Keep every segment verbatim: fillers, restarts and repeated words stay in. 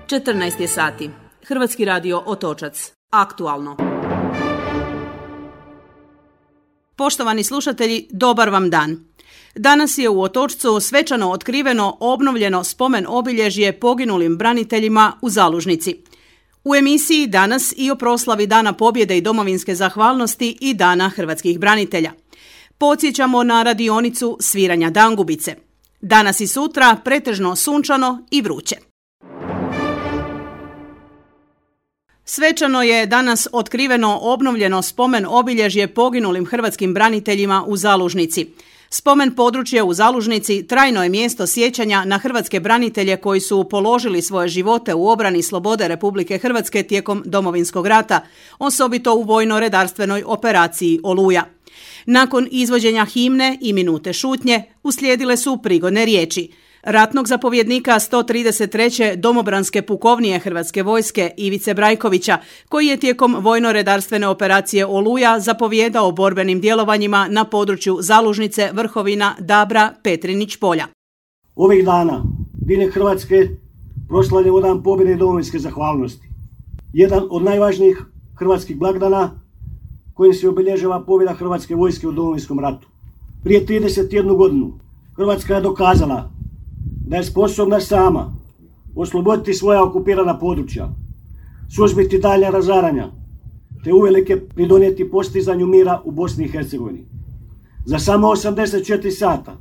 četrnaest je sati. Hrvatski radio Otočac. Aktualno. Poštovani slušatelji, dobar vam dan. Danas je u Otočcu svečano otkriveno obnovljeno spomen obilježje poginulim braniteljima u Zalužnici. U emisiji danas i o proslavi Dana pobjede i domovinske zahvalnosti i Dana hrvatskih branitelja. Podsjećamo na radionicu sviranja dangubice. Danas i sutra pretežno sunčano i vruće. Svečano je danas otkriveno obnovljeno spomen obilježje poginulim hrvatskim braniteljima u Zalužnici. Spomen područje u Zalužnici trajno je mjesto sjećanja na hrvatske branitelje koji su položili svoje živote u obrani slobode Republike Hrvatske tijekom Domovinskog rata, osobito u vojno-redarstvenoj operaciji Oluja. Nakon izvođenja himne i minute šutnje uslijedile su prigodne riječi ratnog zapovjednika sto trideset treće domobranske pukovnije Hrvatske vojske Ivice Brajkovića, koji je tijekom vojno-redarstvene operacije Oluja zapovijedao borbenim djelovanjima na području Zalužnice, Vrhovina, Dabra, Petrinić polja. Ovih dana diljem Hrvatske proslavljamo Dan pobjede i domovinske zahvalnosti. Jedan od najvažnijih hrvatskih blagdana kojim se obilježava pobjeda Hrvatske vojske u Domovinskom ratu. Prije trideset jednu godinu Hrvatska je dokazala da je sposobna sama osloboditi svoja okupirana područja, suzbiti dalja razaranja, te uvelike pridonijeti postizanju mira u Bosni i Hercegovini. Za samo osamdeset četiri sata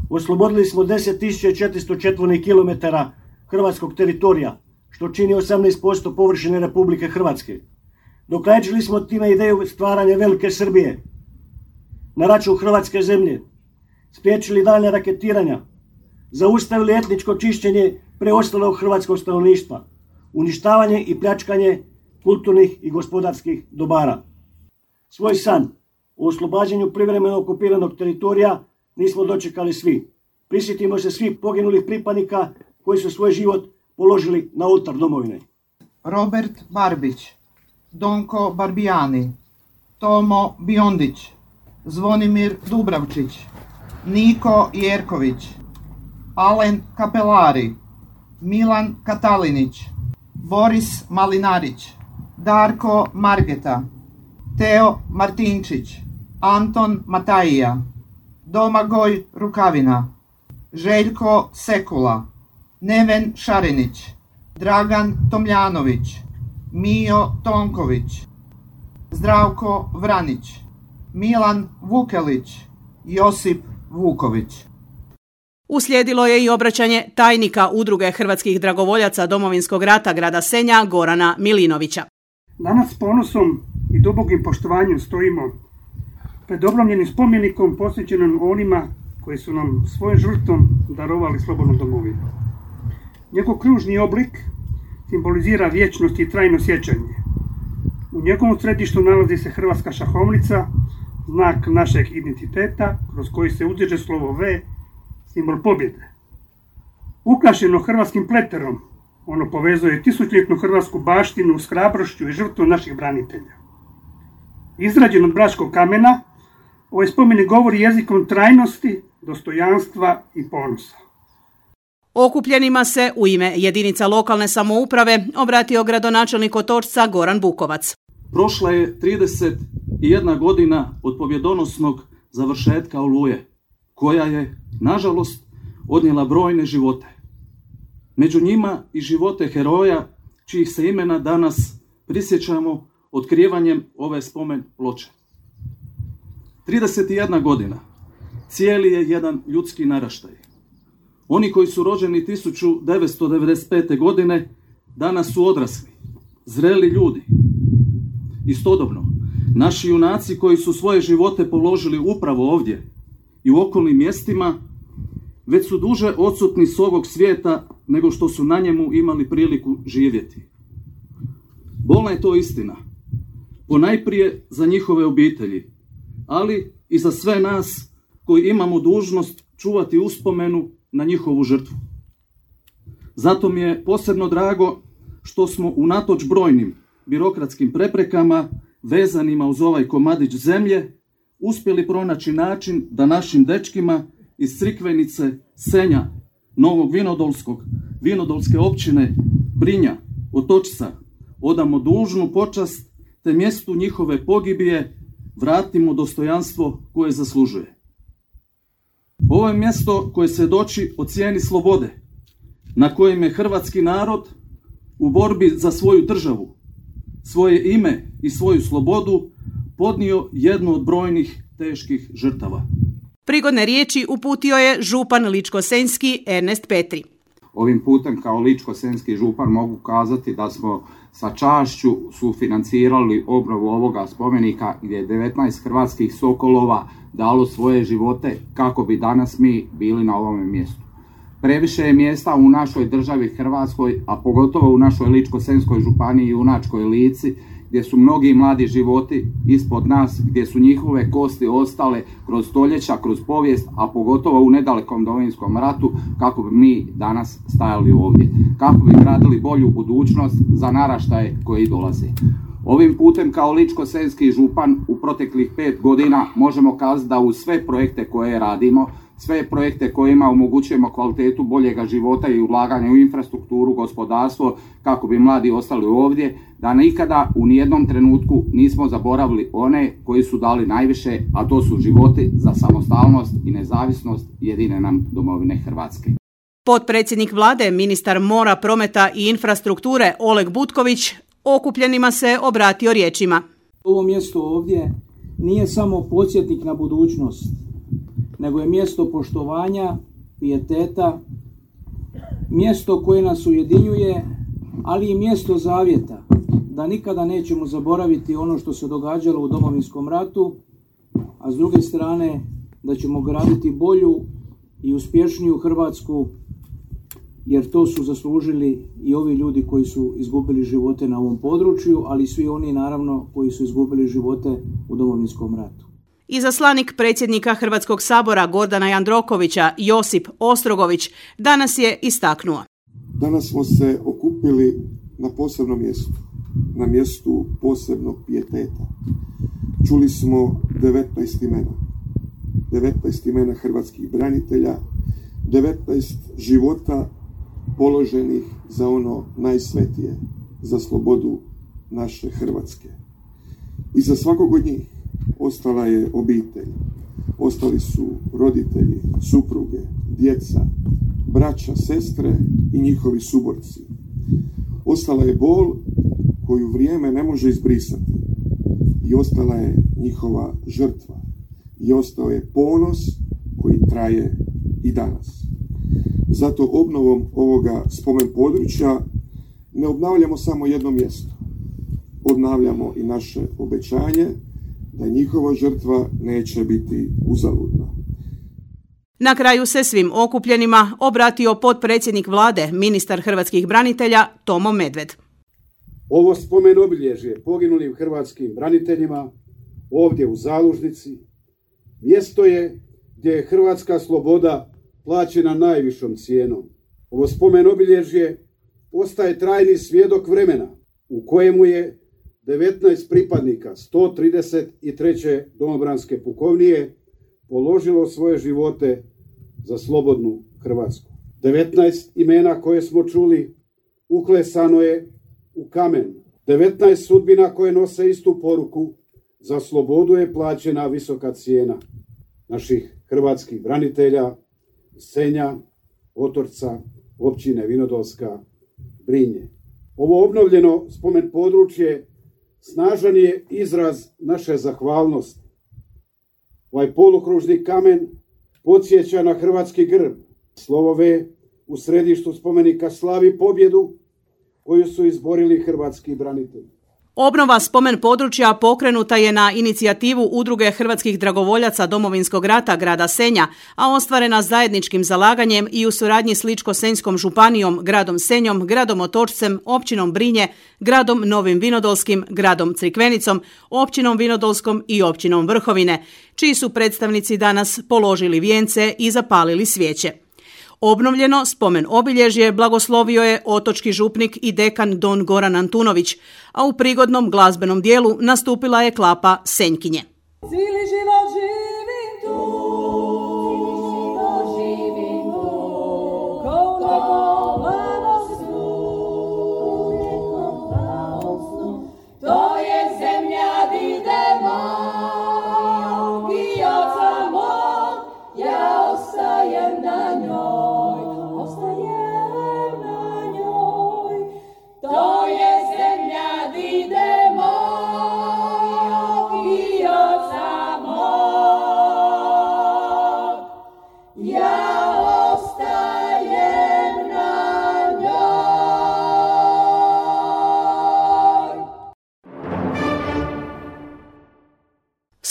oslobodili smo deset tisuća četiristo četvornih kilometara hrvatskog teritorija, što čini osamnaest posto površine Republike Hrvatske. Dokrajčili smo time ideju stvaranja Velike Srbije na račun hrvatske zemlje, spriječili dalje raketiranja, zaustavili etničko čišćenje preostalog hrvatskog stanovništva, uništavanje i pljačkanje kulturnih i gospodarskih dobara. Svoj san o oslobađanju privremeno okupiranog teritorija nismo dočekali svi. Prisjetimo se svih poginulih pripadnika koji su svoj život položili na oltar domovine. Robert Barbić, Donko Barbijani, Tomo Biondić, Zvonimir Dubravčić, Niko Jerković, Alen Kapelari, Milan Katalinić, Boris Malinarić, Darko Margeta, Teo Martinčić, Anton Matajija, Domagoj Rukavina, Željko Sekula, Neven Šarinić, Dragan Tomljanović, Mijo Tonković, Zdravko Vranić, Milan Vukelić, Josip Vuković. Uslijedilo je i obraćanje tajnika Udruge hrvatskih dragovoljaca Domovinskog rata grada Senja Gorana Milinovića. Danas s ponosom i dubokim poštovanjem stojimo pred obromljenim spomenikom posvećenim onima koji su nam svojom žrtvom darovali slobodnu domovinu. Njegov kružni oblik simbolizira vječnost i trajno sjećanje. U njegovom središtu nalazi se hrvatska šahovnica, znak našeg identiteta kroz koji se uzdiže slovo V, simbol pobjede. Ukrašeno hrvatskim pleterom, ono povezuje tisućljetnu hrvatsku baštinu s hrabrošću i žrtvom naših branitelja. Izrađen od bračkog kamena, ovaj spomenik govori jezikom trajnosti, dostojanstva i ponosa. Okupljenima se u ime jedinica lokalne samouprave obratio gradonačelnik Otočca Goran Bukovac. Prošla je trideset jedna godina od pobjedonosnog završetka Oluje, koja je, nažalost, odnijela brojne živote. Među njima i živote heroja, čijih se imena danas prisjećamo otkrivanjem ove spomen ploče. trideset jedna godina, cijeli je jedan ljudski naraštaj. Oni koji su rođeni tisuću devetsto devedeset pete. godine danas su odrasli, zreli ljudi. Istodobno, naši junaci koji su svoje živote položili upravo ovdje i u okolnim mjestima, već su duže odsutni s ovog svijeta nego što su na njemu imali priliku živjeti. Bolna je to istina, ponajprije za njihove obitelji, ali i za sve nas koji imamo dužnost čuvati uspomenu na njihovu žrtvu. Zato mi je posebno drago što smo unatoč brojnim birokratskim preprekama vezanima uz ovaj komadić zemlje uspjeli pronaći način da našim dečkima iz Crikvenice, Senja, Novog Vinodolskog, Vinodolske općine Brinja, Otočca, odamo dužnu počast te mjestu njihove pogibije vratimo dostojanstvo koje zaslužuje. Ovo je mjesto koje svjedoči o cijeni slobode, na kojem je hrvatski narod u borbi za svoju državu, svoje ime i svoju slobodu podnio jednu od brojnih teških žrtava. Prigodne riječi uputio je župan Ličko-senjski Ernest Petri. Ovim putem kao Ličko-senjski župan mogu kazati da smo sa čašću sufinancirali obnovu ovoga spomenika gdje je devetnaest hrvatskih sokolova dalo svoje živote kako bi danas mi bili na ovome mjestu. Previše je mjesta u našoj državi Hrvatskoj, a pogotovo u našoj Ličko-senjskoj županiji i Junačkoj Lici, gdje su mnogi mladi životi ispod nas, gdje su njihove kosti ostale kroz stoljeća, kroz povijest, a pogotovo u nedalekom Domovinskom ratu, kako bi mi danas stajali ovdje, kako bi gradili bolju budućnost za naraštaje koji dolaze. Ovim putem kao Ličko-senjski župan u proteklih pet godina možemo kazati da uz sve projekte koje radimo, sve projekte kojima omogućujemo kvalitetu boljega života i ulaganja u infrastrukturu, gospodarstvo, kako bi mladi ostali ovdje, da nikada u nijednom trenutku nismo zaboravili one koji su dali najviše, a to su životi za samostalnost i nezavisnost jedine nam domovine Hrvatske. Potpredsjednik vlade, ministar mora, prometa i infrastrukture Oleg Butković okupljenima se obratio riječima. Ovo mjesto ovdje nije samo podsjetnik na budućnost, nego je mjesto poštovanja, pijeteta, mjesto koje nas ujedinjuje, ali i mjesto zavjeta, da nikada nećemo zaboraviti ono što se događalo u Domovinskom ratu, a s druge strane da ćemo graditi bolju i uspješniju Hrvatsku, jer to su zaslužili i ovi ljudi koji su izgubili živote na ovom području, ali i svi oni naravno koji su izgubili živote u Domovinskom ratu. Izaslanik predsjednika Hrvatskog sabora Gordana Jandrokovića, Josip Ostrogović, danas je istaknuo. Danas smo se okupili na posebnom mjestu, na mjestu posebnog pijeteta. Čuli smo devetnaest imena, devetnaest imena hrvatskih branitelja, devetnaest života položenih za ono najsvetije, za slobodu naše Hrvatske. I za svakog od njih ostala je obitelj, ostali su roditelji, supruge, djeca, braća, sestre i njihovi suborci. Ostala je bol koju vrijeme ne može izbrisati i ostala je njihova žrtva i ostao je ponos koji traje i danas. Zato obnovom ovoga spomen područja ne obnavljamo samo jedno mjesto, obnavljamo i naše obećanje da njihova žrtva neće biti uzaludna. Na kraju se svim okupljenima obratio potpredsjednik vlade, ministar hrvatskih branitelja Tomo Medved. Ovo spomen obilježje poginulim hrvatskim braniteljima ovdje u Zalužnici mjesto je gdje je hrvatska sloboda plaćena najvišom cijenom. Ovo spomen obilježje ostaje trajni svjedok vremena u kojemu je devetnaest pripadnika sto trideset treće domobranske pukovnije položilo svoje živote za slobodnu Hrvatsku. devetnaest imena koje smo čuli uklesano je u kamen. devetnaest sudbina koje nose istu poruku, za slobodu je plaćena visoka cijena naših hrvatskih branitelja, Senja, Otočca, općine Vinodolska, Brinje. Ovo obnovljeno spomen područje snažan je izraz naše zahvalnosti. Ovaj polukružni kamen podsjeća na hrvatski grb. Slovo V u središtu spomenika slavi pobjedu koju su izborili hrvatski branitelji. Obnova spomen područja pokrenuta je na inicijativu Udruge hrvatskih dragovoljaca Domovinskog rata grada Senja, a ostvarena zajedničkim zalaganjem i u suradnji s Ličko-senjskom županijom, gradom Senjom, gradom Otočcem, općinom Brinje, gradom Novim Vinodolskim, gradom Crikvenicom, općinom Vinodolskom i općinom Vrhovine, čiji su predstavnici danas položili vijence i zapalili svijeće. Obnovljeno spomen obilježje blagoslovio je otočki župnik i dekan don Goran Antunović, a u prigodnom glazbenom dijelu nastupila je klapa Senjkinje. Cijeli život živim tu, živim tu, koliko mladost tu,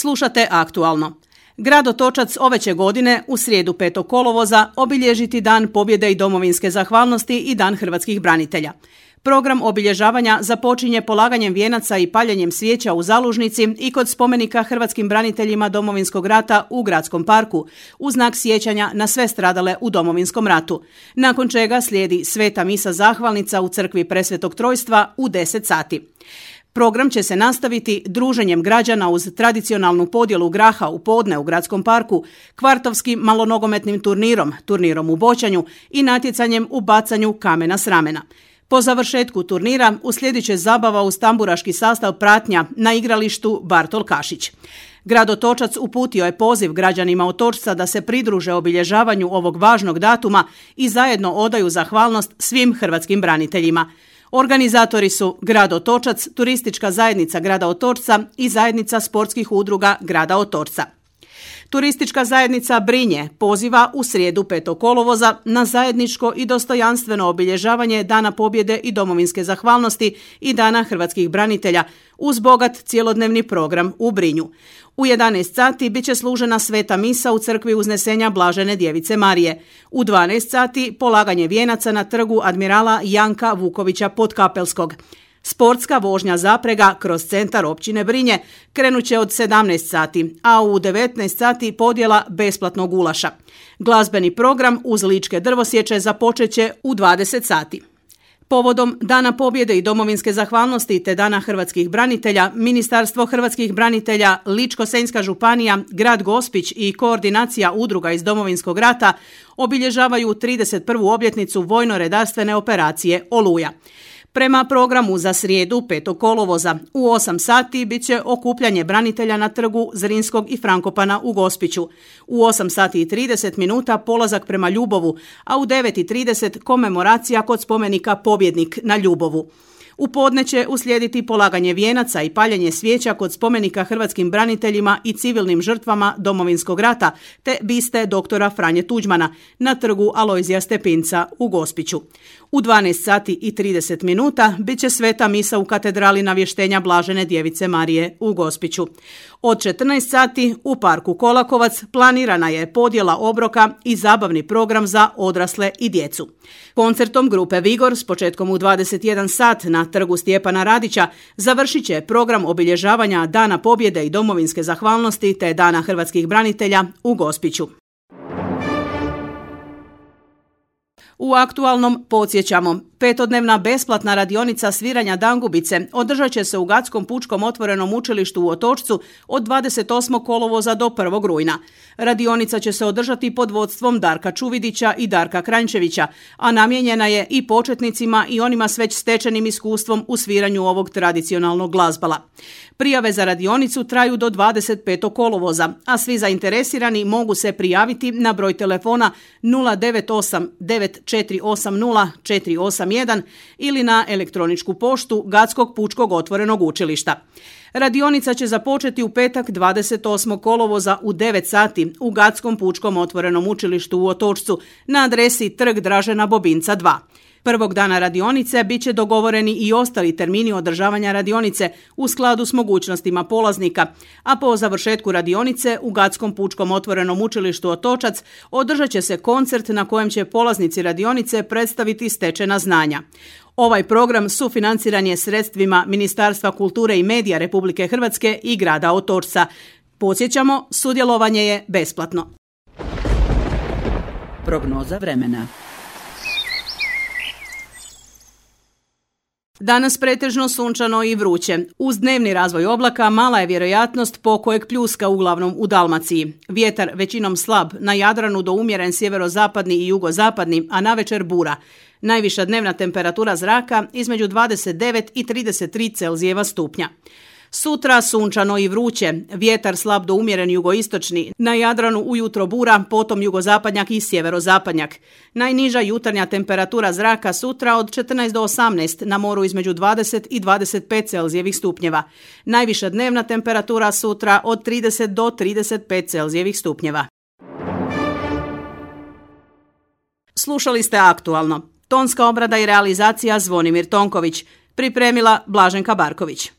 Slušate Aktualno. Grad Otočac ove će godine u srijedu petog kolovoza obilježiti Dan pobjede i domovinske zahvalnosti i Dan hrvatskih branitelja. Program obilježavanja započinje polaganjem vijenaca i paljenjem svijeća u Zalužnici i kod spomenika hrvatskim braniteljima Domovinskog rata u Gradskom parku, u znak sjećanja na sve stradale u Domovinskom ratu. Nakon čega slijedi sveta misa zahvalnica u crkvi Presvetog Trojstva u deset sati. Program će se nastaviti druženjem građana uz tradicionalnu podjelu graha u podne u Gradskom parku, kvartovskim malonogometnim turnirom, turnirom u boćanju i natjecanjem u bacanju kamena s ramena. Po završetku turnira uslijedit će zabava uz tamburaški sastav pratnja na igralištu Bartol Kašić. Grad Otočac uputio je poziv građanima Otočca da se pridruže obilježavanju ovog važnog datuma i zajedno odaju zahvalnost svim hrvatskim braniteljima. Organizatori su Grad Otočac, Turistička zajednica Grada Otočca i Zajednica sportskih udruga Grada Otočca. Turistička zajednica Brinje poziva u srijedu petog kolovoza na zajedničko i dostojanstveno obilježavanje Dana pobjede i domovinske zahvalnosti i Dana hrvatskih branitelja uz bogat cjelodnevni program u Brinju. U jedanaest sati bit će služena sveta misa u crkvi Uznesenja Blažene Djevice Marije. U dvanaest sati polaganje vijenaca na trgu admirala Janka Vukovića Podkapelskog. Sportska vožnja zaprega kroz centar općine Brinje krenut će od sedamnaest sati, a u devetnaest sati podjela besplatnog gulaša. Glazbeni program uz ličke drvosječe započet će u dvadeset sati. Povodom Dana pobjede i domovinske zahvalnosti te Dana hrvatskih branitelja, Ministarstvo hrvatskih branitelja, Ličko-senjska županija, grad Gospić i koordinacija udruga iz Domovinskog rata obilježavaju trideset prvu obljetnicu vojno-redarstvene operacije Oluja. Prema programu za srijedu petog kolovoza u osam sati bit će okupljanje branitelja na trgu Zrinskog i Frankopana u Gospiću. U osam sati i trideset minuta polazak prema Ljubovu, a u devet i trideset komemoracija kod spomenika Pobjednik na Ljubovu. U podne će uslijediti polaganje vijenaca i paljenje svijeća kod spomenika hrvatskim braniteljima i civilnim žrtvama Domovinskog rata te biste doktora Franje Tuđmana na trgu Alojzija Stepinca u Gospiću. U dvanaest sati i trideset minuta bit će sveta misa u katedrali Navještenja Blažene Djevice Marije u Gospiću. Od četrnaest sati u parku Kolakovac planirana je podjela obroka i zabavni program za odrasle i djecu. Koncertom grupe Vigor s početkom u dvadeset jedan sat na trgu Stjepana Radića završit će program obilježavanja Dana pobjede i domovinske zahvalnosti te Dana hrvatskih branitelja u Gospiću. U Aktualnom podsjećamo, petodnevna besplatna radionica sviranja dangubice održat će se u Gadskom pučkom otvorenom učilištu u Otočcu od dvadeset osmog kolovoza do prvog rujna. Radionica će se održati pod vodstvom Darka Čuvidića i Darka Kranjčevića, a namijenjena je i početnicima i onima s već stečenim iskustvom u sviranju ovog tradicionalnog glazbala. Prijave za radionicu traju do dvadeset petog kolovoza, a svi zainteresirani mogu se prijaviti na broj telefona nula devet osam devet četiri osam nula četiri osam jedan ili na elektroničku poštu Gatskog pučkog otvorenog učilišta. Radionica će započeti u petak dvadeset osmog kolovoza u devet sati u Gatskom pučkom otvorenom učilištu u Otočcu na adresi Trg Dražena Bobinca dva. Prvog dana radionice bit će dogovoreni i ostali termini održavanja radionice u skladu s mogućnostima polaznika, a po završetku radionice u Gatskom pučkom otvorenom učilištu Otočac održat će se koncert na kojem će polaznici radionice predstaviti stečena znanja. Ovaj program sufinanciran je sredstvima Ministarstva kulture i medija Republike Hrvatske i grada Otočca. Podsjećamo, sudjelovanje je besplatno. Prognoza vremena. Danas pretežno sunčano i vruće. Uz dnevni razvoj oblaka mala je vjerojatnost pokojeg pljuska uglavnom u Dalmaciji. Vjetar većinom slab, na Jadranu do umjeren sjeverozapadni i jugozapadni, a navečer bura. Najviša dnevna temperatura zraka između dvadeset devet i trideset tri Celzijeva stupnja. Sutra sunčano i vruće, vjetar slab do umjeren jugoistočni, na Jadranu ujutro bura, potom jugozapadnjak i sjeverozapadnjak. Najniža jutarnja temperatura zraka sutra od četrnaest do osamnaest, na moru između dvadeset i dvadeset pet Celzijevih stupnjeva. Najviša dnevna temperatura sutra od trideset do trideset pet Celzijevih stupnjeva. Slušali ste Aktualno. Tonska obrada i realizacija Zvonimir Tonković. Pripremila Blaženka Barković.